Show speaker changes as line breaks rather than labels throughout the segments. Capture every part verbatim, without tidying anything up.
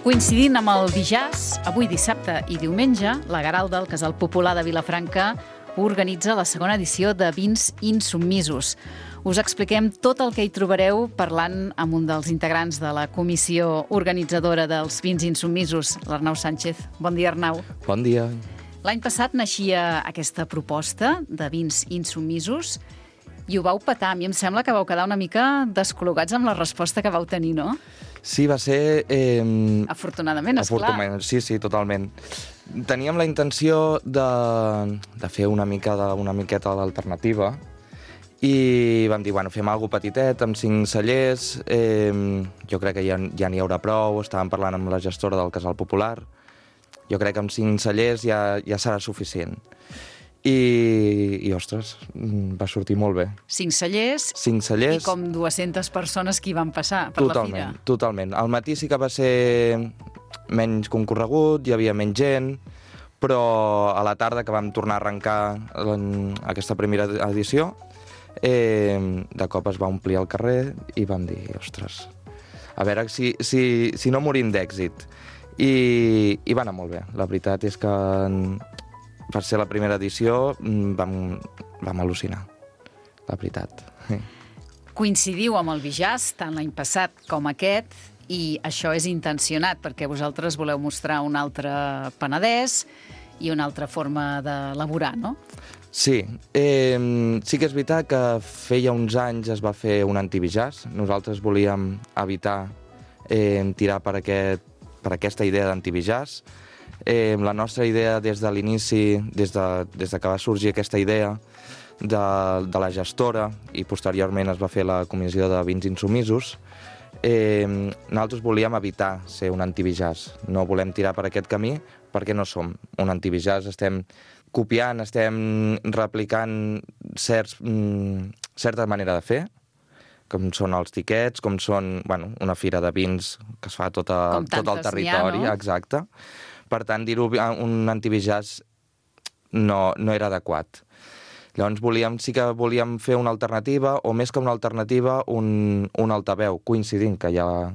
Coincidint amb el dijàs, avui dissabte i diumenge, la Garalda, el Casal Popular de Vilafranca, organitza la segona edició de Vins Insubmisos. Us expliquem tot el que hi trobareu parlant amb un dels integrants de la comissió organitzadora dels Vins Insubmisos, l'Arnau Sánchez. Bon dia, Arnau.
Bon dia.
L'any passat naixia aquesta proposta de Vins Insubmisos i ho vau petar. A mi em sembla que vau quedar una mica descol·locats amb la resposta que vau tenir, no?
Sí, va ser... Eh,
Afortunadament, esclar.
Afortunadament, sí, sí, totalment. Teníem la intenció de, de fer una mica de, una miqueta d'alternativa i vam dir, bueno, fem alguna petitet, amb cinc cellers, eh, jo crec que ja, ja n'hi haurà prou, estàvem parlant amb la gestora del Casal Popular, jo crec que amb cinc cellers ja, ja serà suficient. I, i, ostres, va sortir molt bé.
Cinc cellers,
Cinc cellers
i com dues-centes persones que hi van passar per
totalment,
la fira.
Totalment. Al matí sí que va ser menys concorregut, hi havia menys gent, però a la tarda que vam tornar a arrencar en aquesta primera edició, eh, de cop es va omplir el carrer i vam dir, ostres, a veure si, si, si no morim d'èxit. I, I va anar molt bé. La veritat és que per ser la primera edició vam, vam al·lucinar, la veritat.
Coincidiu amb el Bijàs, tant l'any passat com aquest, i això és intencionat, perquè vosaltres voleu mostrar un altre Penedès i una altra forma d'elaborar, no?
Sí, eh, sí que és veritat que feia uns anys es va fer un antibijàs. Nosaltres volíem evitar eh, tirar per, aquest, per aquesta idea d'antibijàs. Eh, la nostra idea des de l'inici, des, de, des de que va sorgir aquesta idea de, de la gestora i posteriorment es va fer la comissió de Vins Insubmisos, eh, nosaltres volíem evitar ser un antibijàs. No volem tirar per aquest camí perquè no som un antibijàs. Estem copiant, estem replicant certs, mm, certa manera de fer, com són els tiquets, com són bueno, una fira de vins que es fa tot, a, tot el territori.
Ha, no?
Exacte. Per tant, dir-ho un antibijàs no, no era adequat. Llavors volíem, sí que volíem fer una alternativa, o més que una alternativa, un, un altaveu, coincidint que hi ha,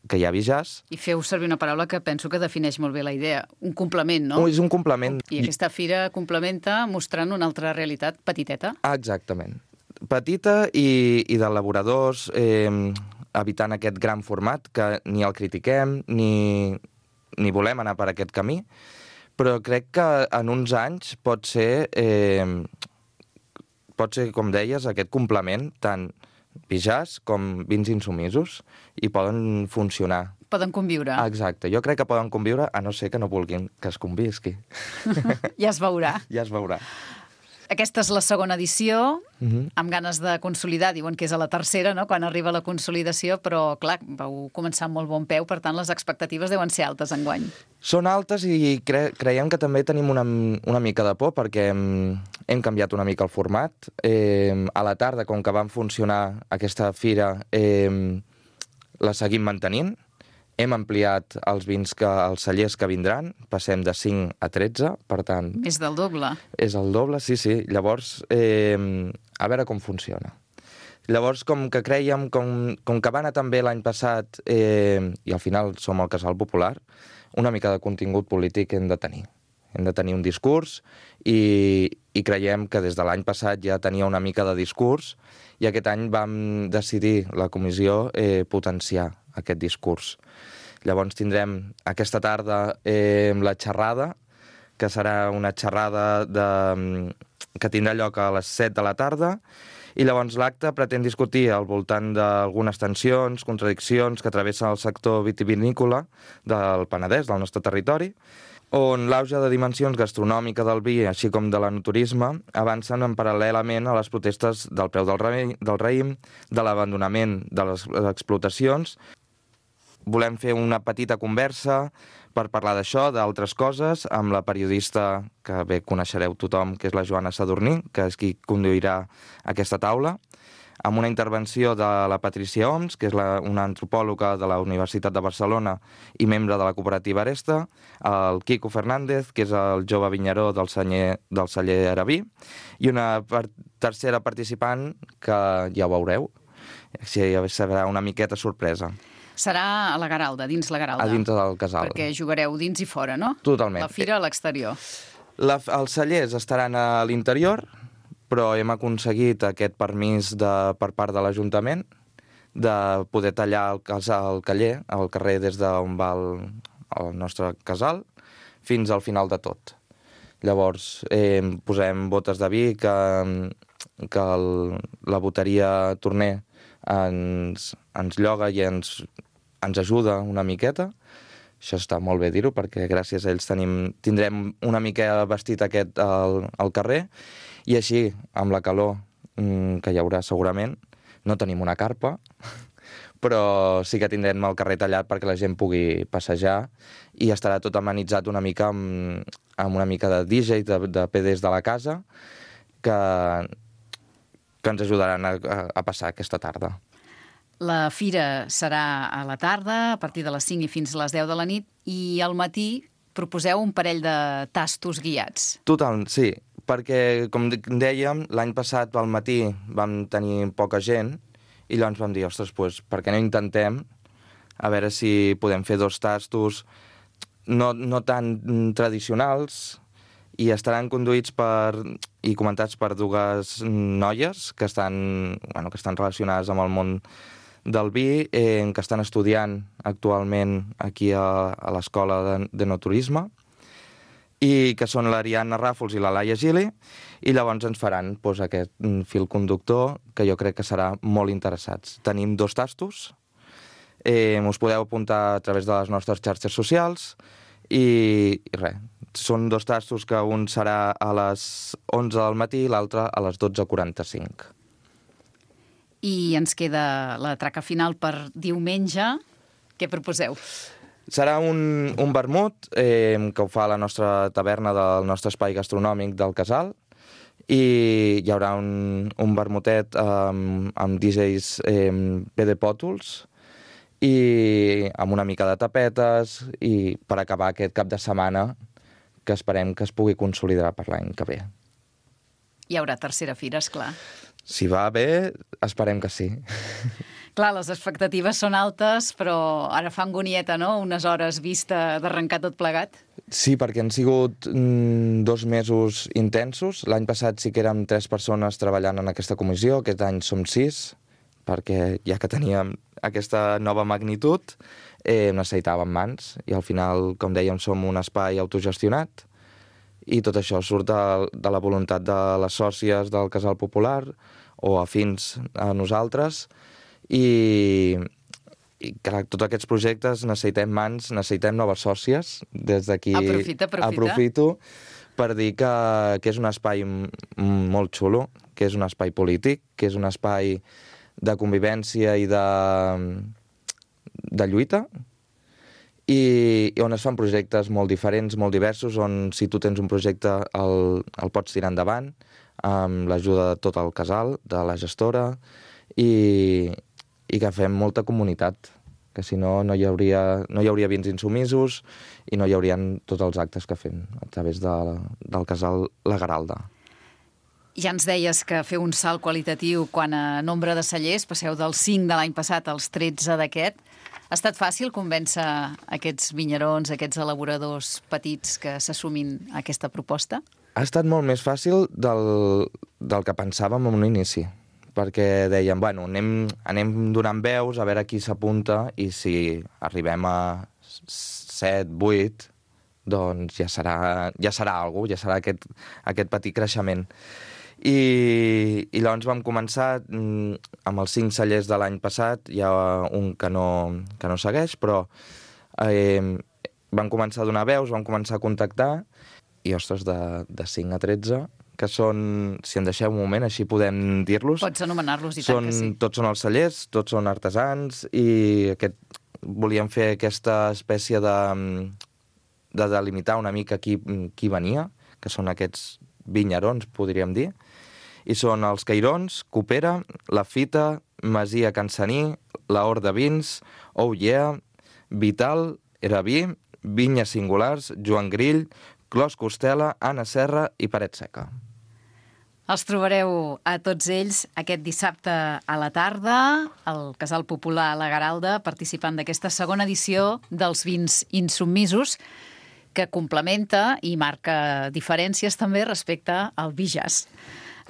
que hi ha bijàs.
I feu servir una paraula que penso que defineix molt bé la idea, un complement, no?
Oh, és un complement.
I aquesta fira complementa mostrant una altra realitat petiteta.
Ah, exactament. Petita i, i d'elaboradors, eh, evitant aquest gran format, que ni el critiquem, ni... ni volem anar per aquest camí, però crec que en uns anys pot ser, eh, pot ser, com deies, aquest complement, tant bijàs com vins insubmisos, i poden funcionar.
Poden conviure.
Exacte, jo crec que poden conviure, a no ser que no vulguin que es convisqui.
Ja es veurà.
Ja es veurà.
Aquesta és la segona edició,
uh-huh.
amb ganes de consolidar. Diuen que és a la tercera, no?, quan arriba la consolidació, però, clar, vau començar amb molt bon peu, per tant, les expectatives deuen ser altes enguany.
Són altes i cre creiem que també tenim una, una mica de por, perquè hem, hem canviat una mica el format. Eh, a la tarda, com que van funcionar aquesta fira, eh, la seguim mantenint. Hem ampliat els vins, que, els cellers que vindran, passem de cinc a tretze, per tant...
És del doble.
És el doble, sí, sí. Llavors, eh, a veure com funciona. Llavors, com que creiem, com, com que va anar tan bé l'any passat, eh, i al final som el Casal Popular, una mica de contingut polític hem de tenir. Hem de tenir un discurs i, i creiem que des de l'any passat ja tenia una mica de discurs i aquest any vam decidir, la comissió, eh, potenciar aquest discurs. Llavors tindrem aquesta tarda eh, la xerrada, que serà una xerrada de, que tindrà lloc a les set de la tarda, i llavors l'acte pretén discutir al voltant d'algunes tensions, contradiccions que travessen el sector vitivinícola del Penedès, del nostre territori, on l'auge de dimensions gastronòmica del vi, així com de l'enoturisme, avancen en paral·lelament a les protestes del preu del, raïm, del raïm, de l'abandonament de les explotacions. Volem fer una petita conversa per parlar d'això, d'altres coses, amb la periodista que bé coneixereu tothom, que és la Joana Sadurní, que és qui conduirà aquesta taula, amb una intervenció de la Patricia Oms, que és la, una antropòloga de la Universitat de Barcelona i membre de la cooperativa Aresta, el Quico Fernández, que és el jove vinyaró del celler, del celler Araví, i una per, tercera participant que ja ho veureu, així serà una miqueta sorpresa.
Serà a la Garalda, dins la Garalda.
A dintre del casal.
Perquè jugareu dins i fora, no?
Totalment.
La fira a l'exterior.
La, els cellers estaran a l'interior, però hem aconseguit aquest permís de, per part de l'Ajuntament de poder tallar el, el caller, el carrer des d'on va el, el nostre casal, fins al final de tot. Llavors, eh, posem botes de vi que, que el, la boteria Torner ens, ens lloga i ens, ens ajuda una miqueta. Això està molt bé dir-ho, perquè gràcies a ells tenim, tindrem una mica vestit aquest al, al carrer, i així, amb la calor que hi haurà segurament, no tenim una carpa, però sí que tindrem el carrer tallat perquè la gent pugui passejar i estarà tot amenitzat una mica amb, amb una mica de D J, de, de P Ds de la casa, que, que ens ajudaran a, a passar aquesta tarda.
La fira serà a la tarda, a partir de les cinc i fins a les deu de la nit, i al matí proposeu un parell de tastos guiats.
Total, sí, perquè, com dèiem, l'any passat al matí vam tenir poca gent, i llavors vam dir, ostres, doncs, per què no intentem a veure si podem fer dos tastos no, no tan tradicionals i estaran conduïts per, i comentats per dues noies que estan, bueno, que estan relacionades amb el món del vi, eh, que estan estudiant actualment aquí a, a l'Escola de, de Naturisme, i que són l'Ariadna Ràfols i la Laia Gili, i llavors ens faran doncs, aquest fil conductor que jo crec que serà molt interessats. Tenim dos tastos, eh, us podeu apuntar a través de les nostres xarxes socials, i, i res, són dos tastos que un serà a les onze del matí i l'altre a les dotze quaranta-cinc.
I ens queda la traca final per diumenge. Què proposeu?
Serà un, un vermut eh, que ho fa la nostra taverna del nostre espai gastronòmic del casal, i hi haurà un, un vermutet amb, amb D Js eh, P D Pòtols i amb una mica de tapetes, i per acabar aquest cap de setmana que esperem que es pugui consolidar per l'any que ve.
Hi haurà tercera fira, esclar.
Si va bé, esperem que sí.
Clar, les expectatives són altes, però ara fa angonieta, no?, unes hores vista d'arrencar tot plegat.
Sí, perquè han sigut mm, dos mesos intensos. L'any passat sí que érem tres persones treballant en aquesta comissió, aquest any som sis, perquè ja que teníem aquesta nova magnitud, eh, necessitàvem mans, i al final, com dèiem, som un espai autogestionat, i tot això surt de, de la voluntat de les sòcies del Casal Popular, o afins a nosaltres, i, i clar, tots aquests projectes necessitem mans, necessitem noves sòcies. Des d'aquí
aprofita, aprofita.
aprofito per dir que, que és un espai molt xulo, que és un espai polític, que és un espai de convivència i de, de lluita, i, i on es fan projectes molt diferents, molt diversos, on si tu tens un projecte el, el pots tirar endavant amb l'ajuda de tot el casal, de la gestora, i, i que fem molta comunitat, que si no no hi hauria, no hi hauria vins insubmisos i no hi haurien tots els actes que fem a través de, del casal La Garalda.
Ja ens deies que feu un salt qualitatiu quan a nombre de cellers passeu dels cinc de l'any passat als tretze d'aquest. Ha estat fàcil convèncer aquests vinyerons, aquests elaboradors petits que s'assumin a aquesta proposta?
Ha estat molt més fàcil del, del que pensàvem en un inici, perquè dèiem, bueno, anem, anem donant veus a veure qui s'apunta, i si arribem a set, vuit, doncs ja serà, ja serà alguna cosa, ja serà aquest, aquest petit creixement. I, i llavors vam començar amb els cinc cellers de l'any passat, hi ha un que no, que no segueix, però eh, vam començar a donar veus, vam començar a contactar, i ostres, de, de cinc a tretze, que són, si em deixeu un moment, així podem dir-los.
Pots anomenar-los, i
són,
tant que sí.
Tots són els cellers, tots són artesans, i aquest, volíem fer aquesta espècie de, de delimitar una mica qui, qui venia, que són aquests vinyerons, podríem dir, i són els Cairons, Copera, La Fita, Masia Cansaní, La Hort de Vins, Oh Yeah, Vital, Eraví, Vinyes Singulars, Joan Grill, Clos Costela, Anna Serra i Paret Seca.
Els trobareu a tots ells aquest dissabte a la tarda al Casal Popular La Garalda, participant d'aquesta segona edició dels vins insubmisos, que complementa i marca diferències també respecte al vi jazz.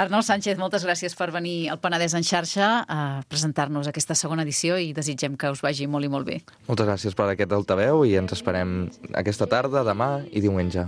Arnau Sánchez, moltes gràcies per venir al Penedès en xarxa a presentar-nos aquesta segona edició i desitgem que us vagi molt i molt bé.
Moltes gràcies per aquest altaveu i ens esperem aquesta tarda, demà i diumenge.